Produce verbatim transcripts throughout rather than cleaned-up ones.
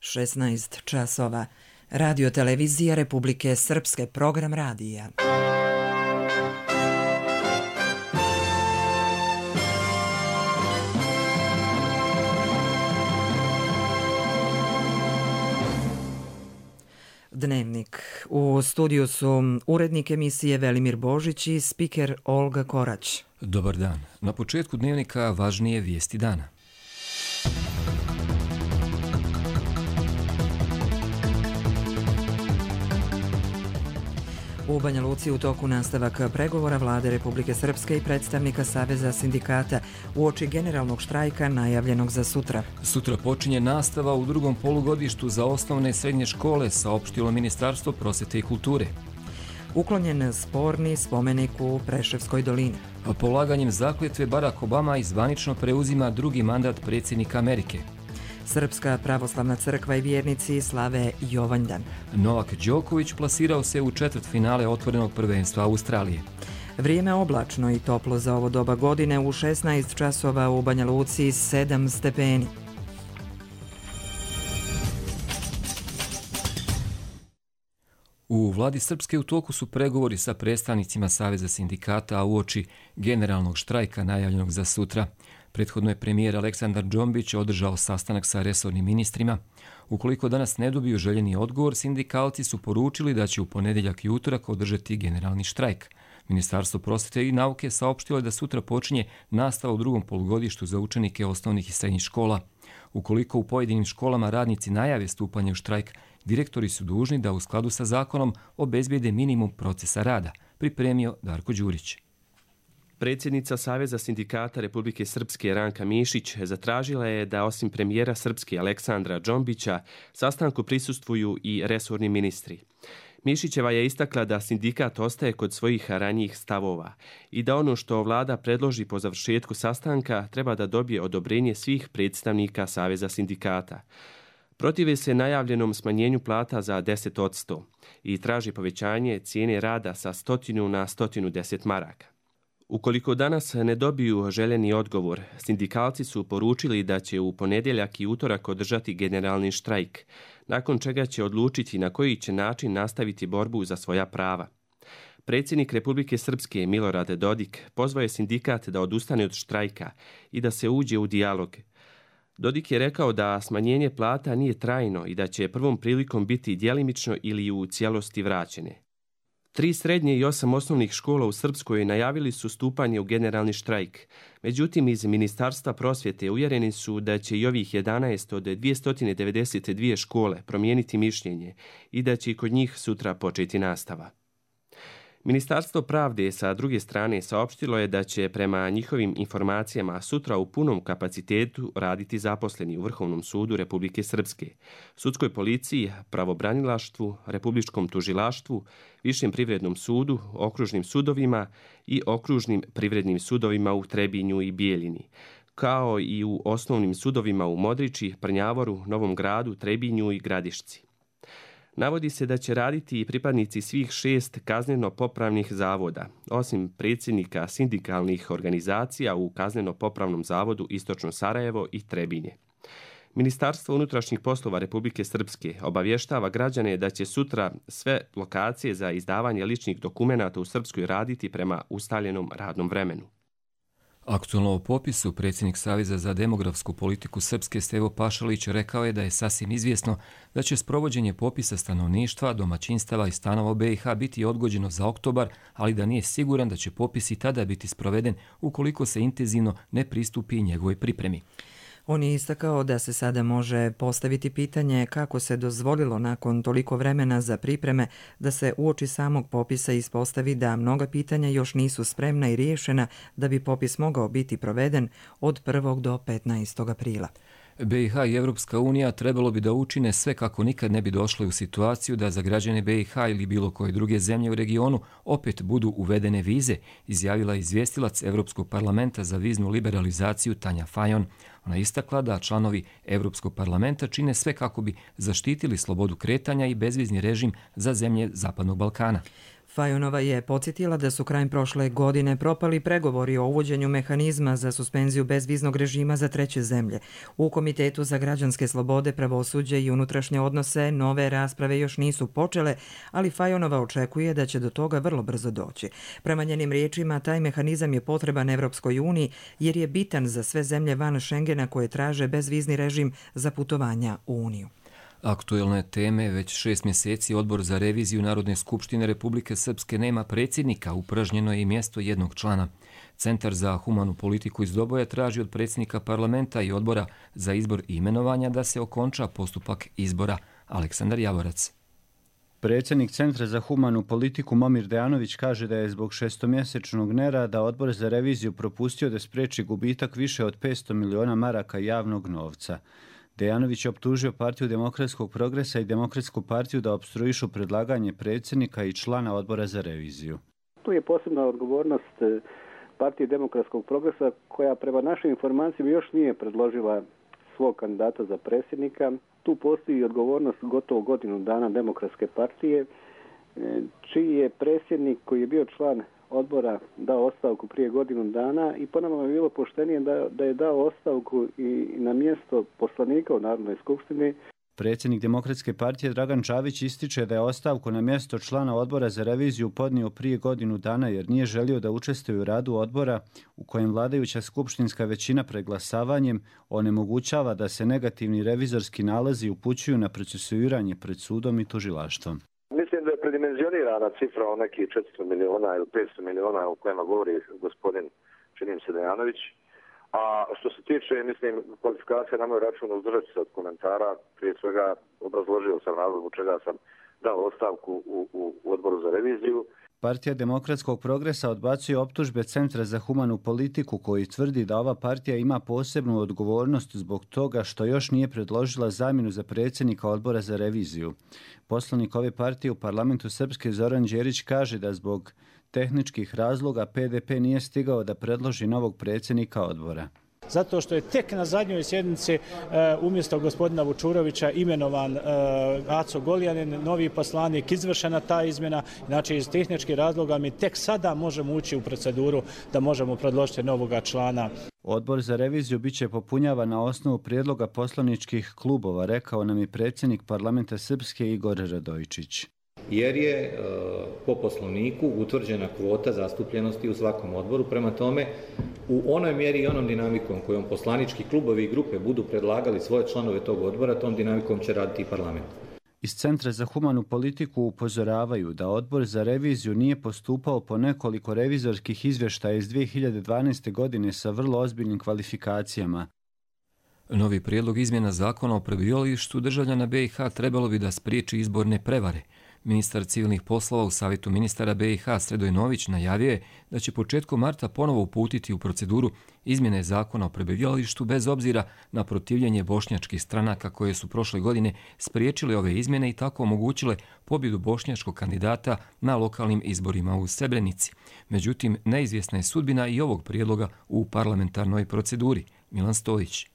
šesnaest časova. Radio televizija Republike Srpske, program radija. Dnevnik. U studiju su urednik emisije Velimir Božić i spiker Olga Korać. Dobar dan. Na početku dnevnika važnije vijesti dana. U Banja Luci u toku nastavak pregovora Vlade Republike Srpske i predstavnika Saveza sindikata uoči generalnog štrajka najavljenog za sutra. Sutra počinje nastava u drugom polugodištu za osnovne i srednje škole, saopštilo Ministarstvo prosvete i kulture. Uklonjen sporni spomenik u Preševskoj dolini. Polaganjem zakletve Barack Obama zvanično preuzima drugi mandat predsjednika Amerike. Srpska pravoslavna crkva i vjernici slave Jovanjdan. Novak Đoković plasirao se u četvrtfinale otvorenog prvenstva Australije. Vrijeme oblačno i toplo za ovo doba godine, u šesnaest časova u Banja Luci sedam stepeni. U vladi Srpske u toku su pregovori sa predstavnicima Saveza sindikata, a uoči generalnog štrajka najavljenog za sutra. Prethodno je premijer Aleksandar Džombić održao sastanak sa resornim ministrima. Ukoliko danas ne dobiju željeni odgovor, sindikalci su poručili da će u ponedjeljak i utorak održati generalni štrajk. Ministarstvo prosvete i nauke saopštilo je da sutra počinje nastava u drugom polugodištu za učenike osnovnih i srednjih škola. Ukoliko u pojedinim školama radnici najave stupanje u štrajk, direktori su dužni da u skladu sa zakonom obezbijede minimum procesa rada, pripremio Darko Đurić. Predsjednica Saveza sindikata Republike Srpske Ranka Mišić zatražila je da osim premijera Srpske Aleksandra Džombića sastanku prisustvuju i resorni ministri. Mišićeva je istakla da sindikat ostaje kod svojih ranijih stavova i da ono što vlada predloži po završetku sastanka treba da dobije odobrenje svih predstavnika Saveza sindikata. Protive se najavljenom smanjenju plata za deset posto i traži povećanje cijene rada sa stotinu na stotinu deset maraka. Ukoliko danas ne dobiju željeni odgovor, sindikalci su poručili da će u ponedjeljak i utorak održati generalni štrajk, nakon čega će odlučiti na koji će način nastaviti borbu za svoja prava. Predsjednik Republike Srpske Milorad Dodik pozvao je sindikat da odustane od štrajka i da se uđe u dijalog. Dodik je rekao da smanjenje plata nije trajno i da će prvom prilikom biti djelimično ili u cijelosti vraćene. Tri srednje i osam osnovnih škola u Srpskoj najavili su stupanje u generalni štrajk. Međutim, iz Ministarstva prosvjete uvjereni su da će i ovih jedanaest od dvjesto devedeset dvije škole promijeniti mišljenje i da će i kod njih sutra početi nastava. Ministarstvo pravde sa druge strane saopštilo je da će prema njihovim informacijama sutra u punom kapacitetu raditi zaposleni u Vrhovnom sudu Republike Srpske, sudskoj policiji, pravobranilaštvu, republičkom tužilaštvu, Višem privrednom sudu, okružnim sudovima i okružnim privrednim sudovima u Trebinju i Bijeljini, kao i u osnovnim sudovima u Modriči, Prnjavoru, Novom Gradu, Trebinju i Gradišci. Navodi se da će raditi i pripadnici svih šest kazneno-popravnih zavoda, osim predsjednika sindikalnih organizacija u Kazneno-popravnom zavodu Istočno Sarajevo i Trebinje. Ministarstvo unutrašnjih poslova Republike Srpske obavještava građane da će sutra sve lokacije za izdavanje ličnih dokumenata u Srpskoj raditi prema ustaljenom radnom vremenu. Aktualno o popisu predsjednik Saveza za demografsku politiku Srpske Stevo Pašalić rekao je da je sasvim izvjesno da će sprovođenje popisa stanovništva, domaćinstava i stanova u B i H biti odgođeno za oktobar, ali da nije siguran da će popis i tada biti sproveden ukoliko se intenzivno ne pristupi njegovoj pripremi. On je istakao da se sada može postaviti pitanje kako se dozvolilo nakon toliko vremena za pripreme da se uoči samog popisa ispostavi da mnoga pitanja još nisu spremna i riješena da bi popis mogao biti proveden od prvog do petnaestog aprila. B i H i Evropska unija trebalo bi da učine sve kako nikad ne bi došli u situaciju da za građane B i H ili bilo koje druge zemlje u regionu opet budu uvedene vize, izjavila izvjestilac Evropskog parlamenta za viznu liberalizaciju Tanja Fajon. Ona istakla da članovi Evropskog parlamenta čine sve kako bi zaštitili slobodu kretanja i bezvizni režim za zemlje Zapadnog Balkana. Fajonova je podsjetila da su krajem prošle godine propali pregovori o uvođenju mehanizma za suspenziju bezviznog režima za treće zemlje. U Komitetu za građanske slobode, pravosuđe i unutrašnje odnose nove rasprave još nisu počele, ali Fajonova očekuje da će do toga vrlo brzo doći. Prema njenim riječima, taj mehanizam je potreban Evropskoj uniji jer je bitan za sve zemlje van Schengena koje traže bezvizni režim za putovanja u Uniju. Aktuelne teme, već šest mjeseci Odbor za reviziju Narodne skupštine Republike Srpske nema predsjednika, upražnjeno je i mjesto jednog člana. Centar za humanu politiku iz Doboja traži od predsjednika parlamenta i odbora za izbor i imenovanja da se okonča postupak izbora. Aleksandar Javorac. Predsjednik Centra za humanu politiku Momir Dejanović kaže da je zbog šestomjesečnog nerada Odbor za reviziju propustio da spriječi gubitak više od petsto miliona maraka javnog novca. Dejanović je optužio Partiju demokratskog progresa i Demokratsku partiju da opstruišu predlaganje predsjednika i člana Odbora za reviziju. Tu je posebna odgovornost Partije demokratskog progresa koja prema našim informacijama još nije predložila svog kandidata za predsjednika. Tu postoji odgovornost gotovo godinu dana Demokratske partije, čiji je predsjednik koji je bio član odbora dao ostavku prije godinu dana i po nama je bilo poštenije da, da je dao ostavku i na mjesto poslanika u Narodnoj skupštini. Predsjednik Demokratske partije Dragan Čavić ističe da je ostavku na mjesto člana Odbora za reviziju podnio prije godinu dana jer nije želio da učestvuje u radu odbora u kojem vladajuća skupštinska većina preglasavanjem onemogućava da se negativni revizorski nalazi upućuju na procesuiranje pred sudom i tužilaštvom. Mislim da je predimenzionirana cifra o nekih četiristo miliona ili petsto miliona o kojima govori gospodin, činim se, Dejanović. A što se tiče, mislim, kvalifikacija na moj račun, uzdržati se od komentara. Prije svega obrazložio sam razlog zbog čega sam dao ostavku u, u, u Odboru za reviziju. Partija demokratskog progresa odbacuje optužbe Centra za humanu politiku koji tvrdi da ova partija ima posebnu odgovornost zbog toga što još nije predložila zamjenu za predsjednika Odbora za reviziju. Poslanik ove partije u parlamentu Srpske Zoran Đerić kaže da zbog tehničkih razloga P D P nije stigao da predloži novog predsjednika odbora. Zato što je tek na zadnjoj sjednici e, umjesto gospodina Vučurovića imenovan e, Aco Goljanin, novi poslanik, izvršena ta izmjena. Znači iz tehničkih razloga mi tek sada možemo ući u proceduru da možemo predložiti novoga člana. Odbor za reviziju biće popunjavan na osnovu prijedloga poslaničkih klubova, rekao nam je predsjednik parlamenta Srpske Igor Radojičić. Jer je po poslovniku utvrđena kvota zastupljenosti u svakom odboru. Prema tome, u onoj mjeri i onom dinamikom kojom poslanički klubovi i grupe budu predlagali svoje članove tog odbora, tom dinamikom će raditi i parlament. Iz Centra za humanu politiku upozoravaju da Odbor za reviziju nije postupao po nekoliko revizorskih izvještaja iz dvije hiljade dvanaeste. godine sa vrlo ozbiljnim kvalifikacijama. Novi prijedlog izmjena zakona o prebivalištu državljana B i H trebalo bi da spriječi izborne prevare. Ministar civilnih poslova u Savjetu ministara B i H Sredoj Nović najavio je da će početkom marta ponovo uputiti u proceduru izmjene zakona o prebivalištu bez obzira na protivljenje bošnjačkih stranaka koje su prošle godine spriječile ove izmjene i tako omogućile pobjedu bošnjačkog kandidata na lokalnim izborima u Srebrenici. Međutim, neizvjesna je sudbina i ovog prijedloga u parlamentarnoj proceduri. Milan Stojić.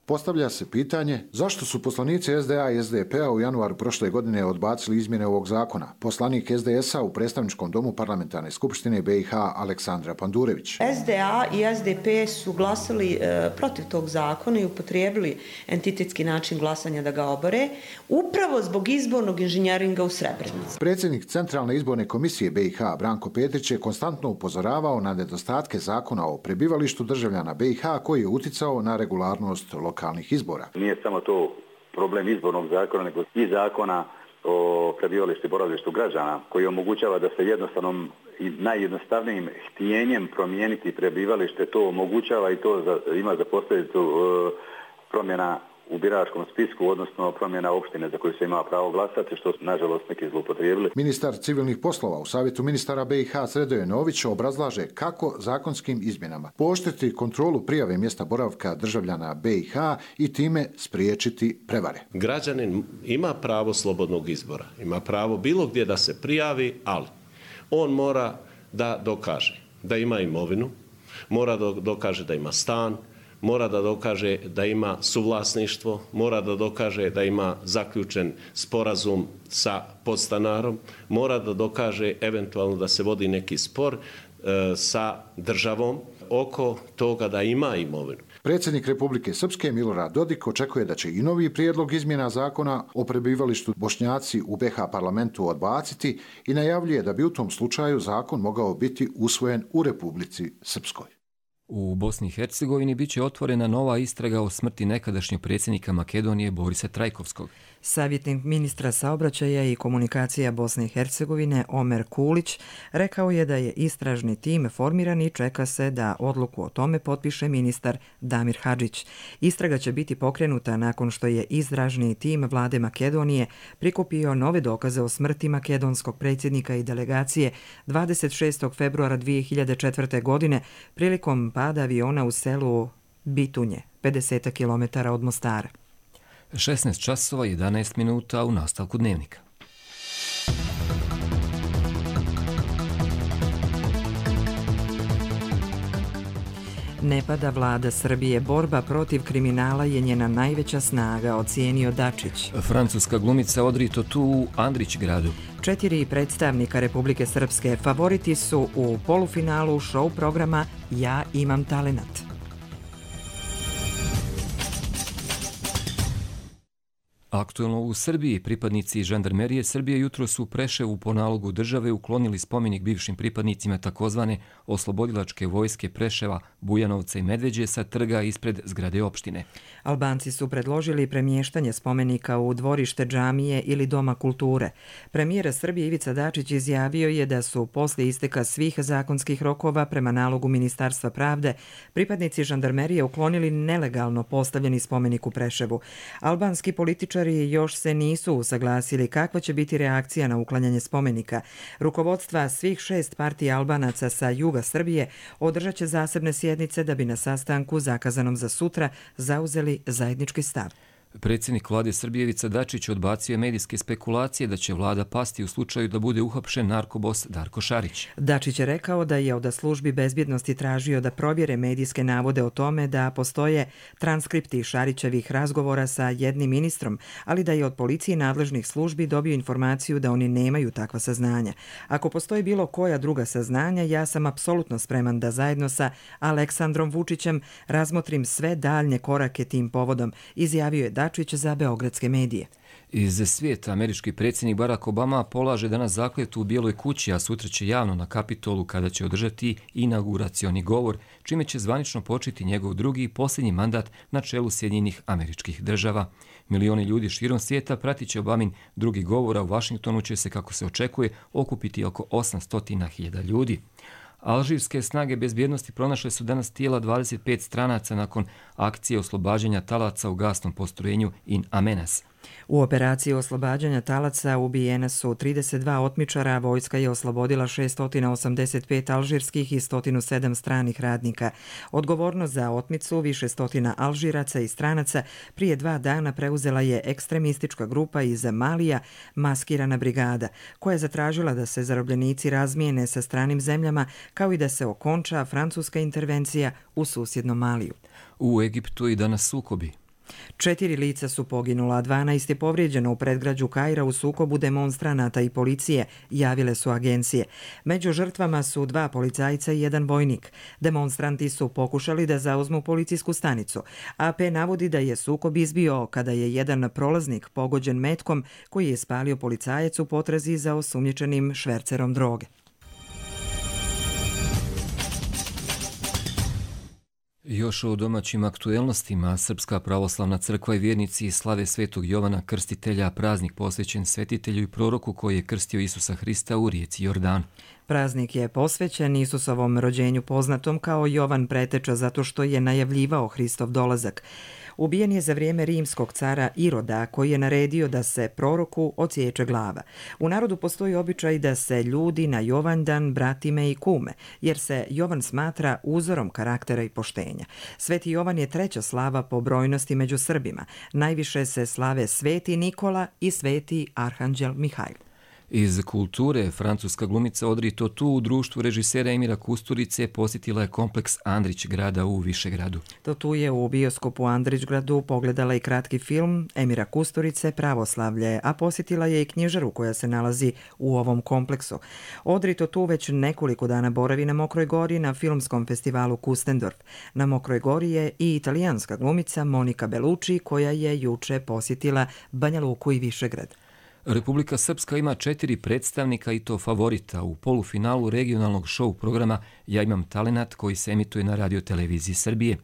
Postavlja se pitanje zašto su poslanici S D A i S D P-a u januaru prošle godine odbacili izmjene ovog zakona. Poslanik S D S-a u predstavničkom domu parlamentarne skupštine B i H Aleksandra Pandurević. S D A i S D P su glasali e, protiv tog zakona i upotrijebili entitetski način glasanja da ga obore, upravo zbog izbornog inženjeringa u Srebrenici. Predsjednik Centralne izborne komisije B i H Branko Petrić je konstantno upozoravao na nedostatke zakona o prebivalištu državljana B i H koji je uticao na regularnost lokalnih izbora. Nije samo to problem izbornog zakona, nego i zakona o prebivalištu i boravištu građana, koji omogućava da se jednostavnom i najjednostavnijim htjenjem promijeniti prebivalište, to omogućava i to za, ima za posljedicu e, promjena u biračkom spisku, odnosno promjena opštine za koju se ima pravo glasati, što su nažalost neki zloupotrijebili. Ministar civilnih poslova u Savjetu ministara B i H Sredoje Nović obrazlaže kako zakonskim izmjenama pooštriti kontrolu prijave mjesta boravka državljana B i H i time spriječiti prevare. Građanin ima pravo slobodnog izbora, ima pravo bilo gdje da se prijavi, ali on mora da dokaže da ima imovinu, mora da dokaže da ima stan, mora da dokaže da ima suvlasništvo, mora da dokaže da ima zaključen sporazum sa podstanarom, mora da dokaže eventualno da se vodi neki spor e, sa državom oko toga da ima imovinu. Predsjednik Republike Srpske Milorad Dodik očekuje da će i novi prijedlog izmjena zakona o prebivalištu Bošnjaci u be ha parlamentu odbaciti i najavljuje da bi u tom slučaju zakon mogao biti usvojen u Republici Srpskoj. U Bosni i Hercegovini biće otvorena nova istraga o smrti nekadašnjeg predsjednika Makedonije Borisa Trajkovskog. Savjetnik ministra saobraćaja i komunikacija Bosne i Hercegovine Omer Kulić rekao je da je istražni tim formiran i čeka se da odluku o tome potpiše ministar Damir Hadžić. Istraga će biti pokrenuta nakon što je istražni tim vlade Makedonije prikupio nove dokaze o smrti makedonskog predsjednika i delegacije dvadeset šestog februara dvije hiljade četvrte. godine prilikom pada aviona u selu Bitunje, pedeset kilometara od Mostara. šesnaest časova jedanaest minuta u nastavku dnevnika. Ne pada vlada Srbije, borba protiv kriminala je njena najveća snaga, ocijenio Dačić. Francuska glumica Audrey Tautou u Andrićgradu. Četiri predstavnika Republike Srpske favoriti su u polufinalu show programa Ja imam talenat. Aktuelno u Srbiji pripadnici žandarmerije Srbije jutro su u Preševu po nalogu države uklonili spomenik bivšim pripadnicima takozvane oslobodilačke vojske Preševa, Bujanovca i Medveđe sa trga ispred zgrade opštine. Albanci su predložili premještanje spomenika u dvorište džamije ili Doma kulture. Premijer Srbije Ivica Dačić izjavio je da su poslije isteka svih zakonskih rokova prema nalogu Ministarstva pravde pripadnici žandarmerije uklonili nelegalno postavljeni spomenik u Preševu. Albanski političari još se nisu usaglasili kakva će biti reakcija na uklanjanje spomenika. Rukovodstva svih šest partija Albanaca sa juga Srbije održat će zasebne sjednice da bi na sastanku zakazanom za sutra zauzeli zajednički stav. Predsjednik vlade Srbije Ivica Dačić odbacio je medijske spekulacije da će vlada pasti u slučaju da bude uhapšen narkobos Darko Šarić. Dačić je rekao da je od službi bezbjednosti tražio da provjere medijske navode o tome da postoje transkripti Šarićevih razgovora sa jednim ministrom, ali da je od policije nadležnih službi dobio informaciju da oni nemaju takva saznanja. Ako postoji bilo koja druga saznanja, ja sam apsolutno spreman da zajedno sa Aleksandrom Vučićem razmotrim sve daljnje korake tim povodom, izjavio je Dačić za beogradske medije. Iz svijeta američki predsjednik Barack Obama polaže danas zakletvu u Bijeloj kući, a sutra će javno na Kapitolu kada će održati inauguracioni govor, čime će zvanično početi njegov drugi i posljednji mandat na čelu Sjedinjenih Američkih Država. Milioni ljudi širom svijeta pratit će Obamin drugi govor, a u Vašingtonu će se, kako se očekuje, okupiti oko osamsto hiljada ljudi. Alžirske snage bezbjednosti pronašle su danas tijela dvadeset pet stranaca nakon akcije oslobađanja talaca u gasnom postrojenju In Amenas. U operaciji oslobađanja talaca ubijena su trideset dva otmičara, vojska je oslobodila šesto osamdeset pet alžirskih i sto sedam stranih radnika. Odgovornost za otmicu više stotina Alžiraca i stranaca prije dva dana preuzela je ekstremistička grupa iz Malija, Maskirana brigada, koja je zatražila da se zarobljenici razmijene sa stranim zemljama kao i da se okonča francuska intervencija u susjednom Maliju. U Egiptu i danas sukobi. Četiri lica su poginula, a dvanaest je povrijeđeno u predgrađu Kaira u sukobu demonstranata i policije, javile su agencije. Među žrtvama su dva policajca i jedan vojnik. Demonstranti su pokušali da zauzmu policijsku stanicu. A P navodi da je sukob izbio kada je jedan prolaznik pogođen metkom koji je spalio policajac u potrazi za osumnjičenim švercerom droge. Još o domaćim aktuelnostima, Srpska pravoslavna crkva i vjernici slave Svetog Jovana Krstitelja, praznik posvećen svetitelju i proroku koji je krstio Isusa Hrista u rijeci Jordan. Praznik je posvećen Isusovom rođenju poznatom kao Jovan Preteča zato što je najavljivao Hristov dolazak. Ubijen je za vrijeme rimskog cara Iroda koji je naredio da se proroku odsječe glava. U narodu postoji običaj da se ljudi na Jovandan bratime i kume, jer se Jovan smatra uzorom karaktera i poštenja. Sveti Jovan je treća slava po brojnosti među Srbima. Najviše se slave Sveti Nikola i Sveti Arhanđel Mihajl. Iz kulture, francuska glumica Audrey Tautou u društvu režisera Emira Kusturice posjetila je kompleks Andrić grada u Višegradu. Tautou je u bioskopu Andrićgradu pogledala i kratki film Emira Kusturice Pravoslavlje, a posjetila je i knjižaru koja se nalazi u ovom kompleksu. Audrey Tautou već nekoliko dana boravi na Mokroj Gori na filmskom festivalu Kustendorf. Na Mokroj Gori je i italijanska glumica Monika Bellucci koja je juče posjetila Banja Luku i Višegrad. Republika Srpska ima četiri predstavnika i to favorita u polufinalu regionalnog show programa Ja imam talenat koji se emituje na radioteleviziji Srbije.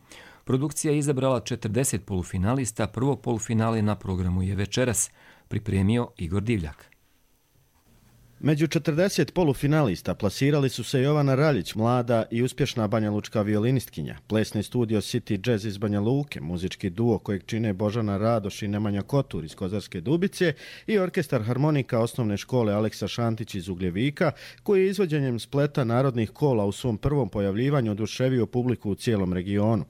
Produkcija je izabrala četrdeset polufinalista, prvo polufinale na programu je večeras, pripremio Igor Divljak. Među četrdeset polufinalista plasirali su se Jovana Raljić, mlada i uspješna banjalučka violinistkinja, plesni studio City Jazz iz Banja Luke, muzički duo kojeg čine Božana Radoš i Nemanja Kotur iz Kozarske Dubice i orkestar harmonika osnovne škole Aleksa Šantić iz Ugljevika, koji je izvođenjem spleta narodnih kola u svom prvom pojavljivanju oduševio publiku u cijelom regionu.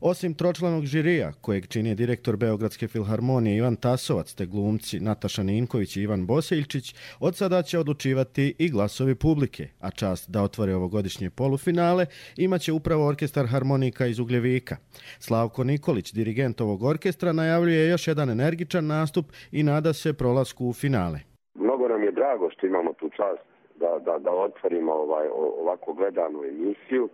Osim tročlanog žirija, kojeg čini direktor Beogradske filharmonije Ivan Tasovac te glumci Nataša Ninković i Ivan Bosiljčić, od sada će odlučivati i glasovi publike, a čast da otvore ovogodišnje polufinale imaće upravo orkestar harmonika iz Ugljevika. Slavko Nikolić, dirigent ovog orkestra, najavljuje još jedan energičan nastup i nada se prolasku u finale. Mnogo nam je drago što imamo tu čast da, da, da otvorimo ovaj, ovako gledanu emisiju.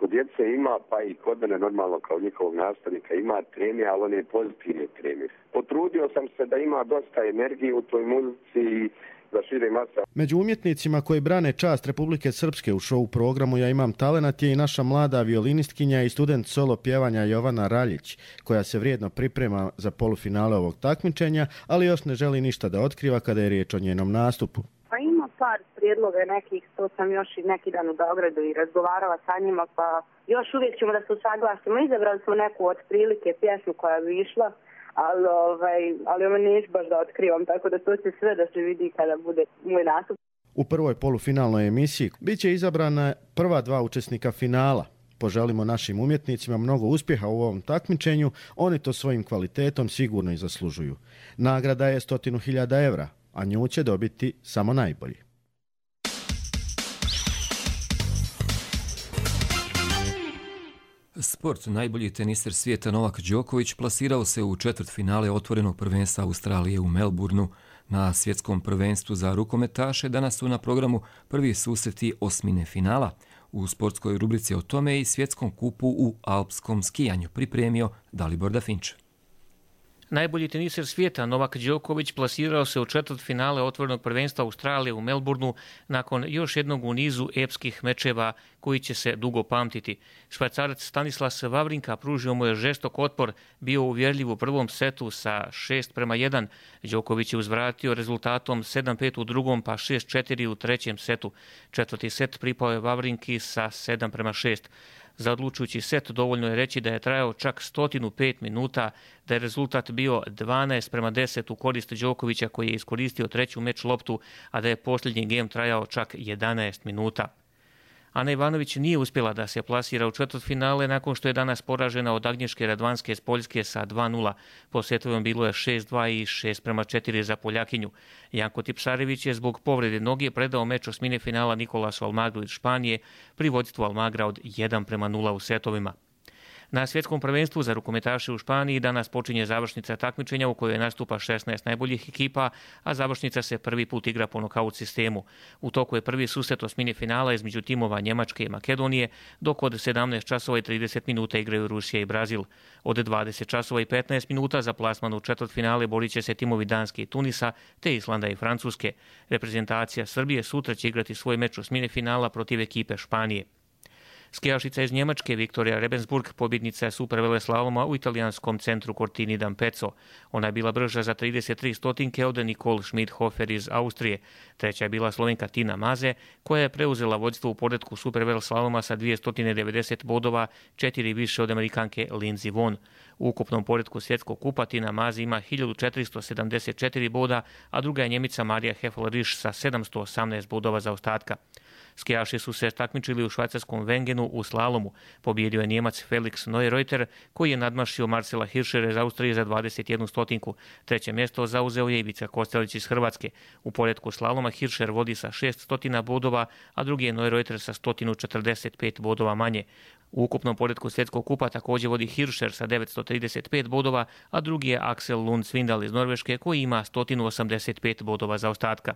Kod djece ima, pa i kod mene normalno kao njihovog nastavnika ima treme, ali one pozitivne treme. Potrudio sam se da ima dosta energije u toj muzici i da šire masa. Među umjetnicima koji brane čast Republike Srpske u show programu Ja imam talenat je i naša mlada violinistkinja i student solo pjevanja Jovana Raljić, koja se vrijedno priprema za polufinale ovog takmičenja, ali još ne želi ništa da otkriva kada je riječ o njenom nastupu. Pa ima par prijedloga nekih, to sam još i neki dan u Beogradu i razgovarala sa njima, pa još uvijek ćemo da se usaglasimo. Izabrali smo neku od prilike pjesmu koja bi išla, ali, ovaj, ali ovo neću baš da otkrivam, tako da to će sve da se vidi kada bude moj nastup. U prvoj polufinalnoj emisiji bit će izabrana prva dva učesnika finala. Poželimo našim umjetnicima mnogo uspjeha u ovom takmičenju, oni to svojim kvalitetom sigurno i zaslužuju. Nagrada je stotinu hiljada evra, a nju će dobiti samo najbolji. Sport. Najbolji teniser svijeta Novak Đoković plasirao se u četvrtfinale otvorenog prvenstva Australije u Melbourneu. Na svjetskom prvenstvu za rukometaše danas su na programu prvi susreti osmine finala. U sportskoj rubrici o tome i svjetskom kupu u alpskom skijanju pripremio Dalibor Dafinč. Najbolji teniser svijeta Novak Đoković plasirao se u četvrtfinale otvorenog prvenstva Australije u Melbourneu nakon još jednog u nizu epskih mečeva koji će se dugo pamtiti. Švajcarac Stanislas Wawrinka pružio mu je žestok otpor, bio uvjerljiv u prvom setu sa šest prema jedan. Đoković je uzvratio rezultatom sedam pet u drugom pa šest četiri u trećem setu. Četvrti set pripao je Wawrinki sa sedam prema šest. Za odlučujući set dovoljno je reći da je trajao čak sto pet minuta, da je rezultat bio dvanaest prema deset u korist Đokovića koji je iskoristio treću meč loptu, a da je posljednji gem trajao čak jedanaest minuta. Ana Ivanović nije uspjela da se plasira u četvrtfinale nakon što je danas poražena od Agnješke Radvanske iz Poljske sa dva nula. Po setovima bilo je šest dva i šest prema četiri za Poljakinju. Janko Tipsarević je zbog povrede noge predao meč osmine finala Nikolasu Almagru iz Španije pri vodstvu Almagra od jedan prema nula u setovima. Na svjetskom prvenstvu za rukometaše u Španiji danas počinje završnica takmičenja u kojoj nastupa šesnaest najboljih ekipa, a završnica se prvi put igra po nokaut sistemu. U toku je prvi susret osmine finala između timova Njemačke i Makedonije, dok od sedamnaest časova i trideset minuta igraju Rusija i Brazil. Od dvadeset časova i petnaest minuta za plasman u četvrtfinale borit će se timovi Danske i Tunisa, te Islanda i Francuske. Reprezentacija Srbije sutra će igrati svoj meč osmine finala protiv ekipe Španije. Skijašica iz Njemačke Viktorija Rebensburg pobjednica je superveleslaloma u italijanskom centru Cortini d'Ampezzo. Ona je bila brža za trideset tri stotinke od Nicole Schmidhofer iz Austrije. Treća je bila Slovenka Tina Maze, koja je preuzela vodstvo u poretku superveleslaloma sa dvjesto devedeset bodova, četiri više od Amerikanke Lindsey Vonn. U ukupnom poretku svjetskog kupa Tina Maze ima hiljadu četiristo sedamdeset četiri boda, a druga je Njemica Marija Heffel-Risch sa sedamsto osamnaest bodova za ostatka. Skijaši su se takmičili u švajcarskom Wengenu u slalomu. Pobjedio je Njemac Felix Neureuter koji je nadmašio Marcela Hirschera iz Austrije za dvadeset jednu stotinku. Treće mjesto zauzeo je Ivica Kostelić iz Hrvatske. U poretku slaloma Hirscher vodi sa šest stotina bodova, a drugi je Neureuter sa sto četrdeset pet bodova manje. U ukupnom poretku svjetskog kupa također vodi Hirscher sa devetsto trideset pet bodova, a drugi je Axel Lund Svindal iz Norveške koji ima sto osamdeset pet bodova za ostatka.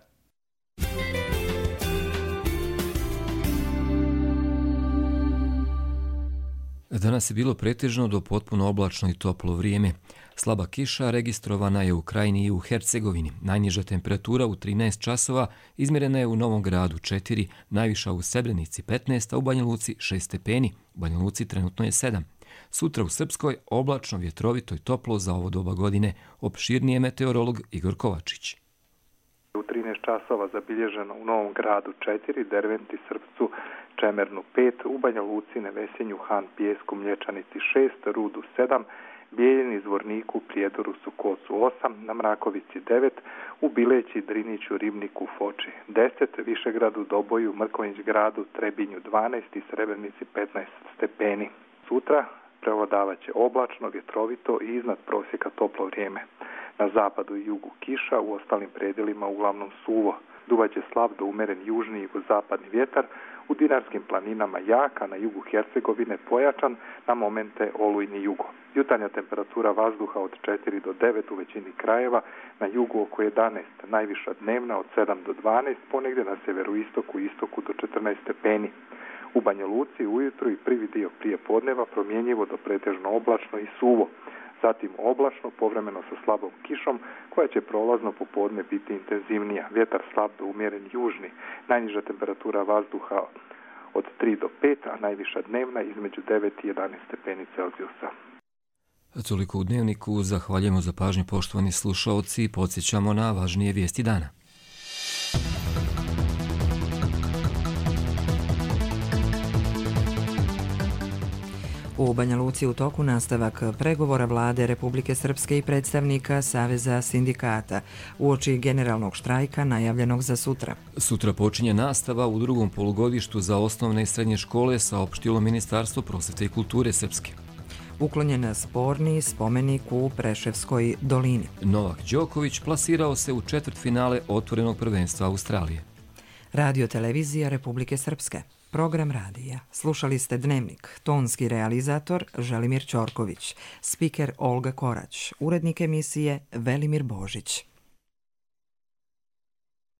Danas je bilo pretežno do potpuno oblačno i toplo vrijeme. Slaba kiša registrovana je u Krajini i u Hercegovini. Najniža temperatura u trinaest časova izmjerena je u Novom Gradu četiri, najviša u Srebrenici petnaest, a u Banja Luci šest stepeni. U Banja Luci trenutno je sedam. Sutra u Srpskoj oblačno, vjetrovito i toplo za ovo doba godine. Opširnije meteorolog Igor Kovačić. U trinaest časova zabilježeno u Novom Gradu četiri, Derventi, Srpcu, Čemernu pet, u Banja Luci, Nevesenju, Han, Pijesku, Mlječanici šest, Rudu sedam, Bijeljini, Zvorniku, Prijedoru, Sukocu osam, na Mrakovici devet, u Bileći, Driniću, Ribniku, Foči deset, Višegradu, Doboju, Mrkonjić gradu, Trebinju dvanaest i Srebrenici petnaest stepeni. Sutra prevladavat će oblačno, vjetrovito i iznad prosjeka toplo vrijeme. Na zapadu i jugu kiša, u ostalim predjelima uglavnom suvo. Duvaće slab do umeren južni i zapadni vjetar, u Dinarskim planinama jak, a na jugu Hercegovine pojačan, na momente olujni jugo. Jutarnja temperatura vazduha od četiri do devet u većini krajeva, na jugu oko jedanaest, najviša dnevna od sedam do dvanaest, ponegdje na severoistoku i istoku do četrnaest stepeni. U Banja Luci ujutro i prvi dio prije podneva promjenjivo do pretežno oblačno i suvo. Zatim oblačno, povremeno sa slabom kišom, koja će prolazno popodne biti intenzivnija. Vjetar slab do umjeren južni, najniža temperatura vazduha od tri do pet, a najviša dnevna između devet i jedanaest stepeni Celzijusa. Toliko u Dnevniku, zahvaljujemo za pažnju poštovani slušaoci i podsjećamo na važnije vijesti dana. U Banja Luci u toku nastavak pregovora vlade Republike Srpske i predstavnika Saveza sindikata uoči generalnog štrajka najavljenog za sutra. Sutra počinje nastava u drugom polugodištu za osnovne i srednje škole, saopštilo Ministarstvo prosvete i kulture Srpske. Uklonjen sporni spomenik u Preševskoj dolini. Novak Đoković plasirao se u četvrtfinale otvorenog prvenstva Australije. Radio televizija Republike Srpske. Program radija. Slušali ste Dnevnik. Tonski realizator Želimir Ćorković. Spiker Olga Korać. Urednik emisije Velimir Božić.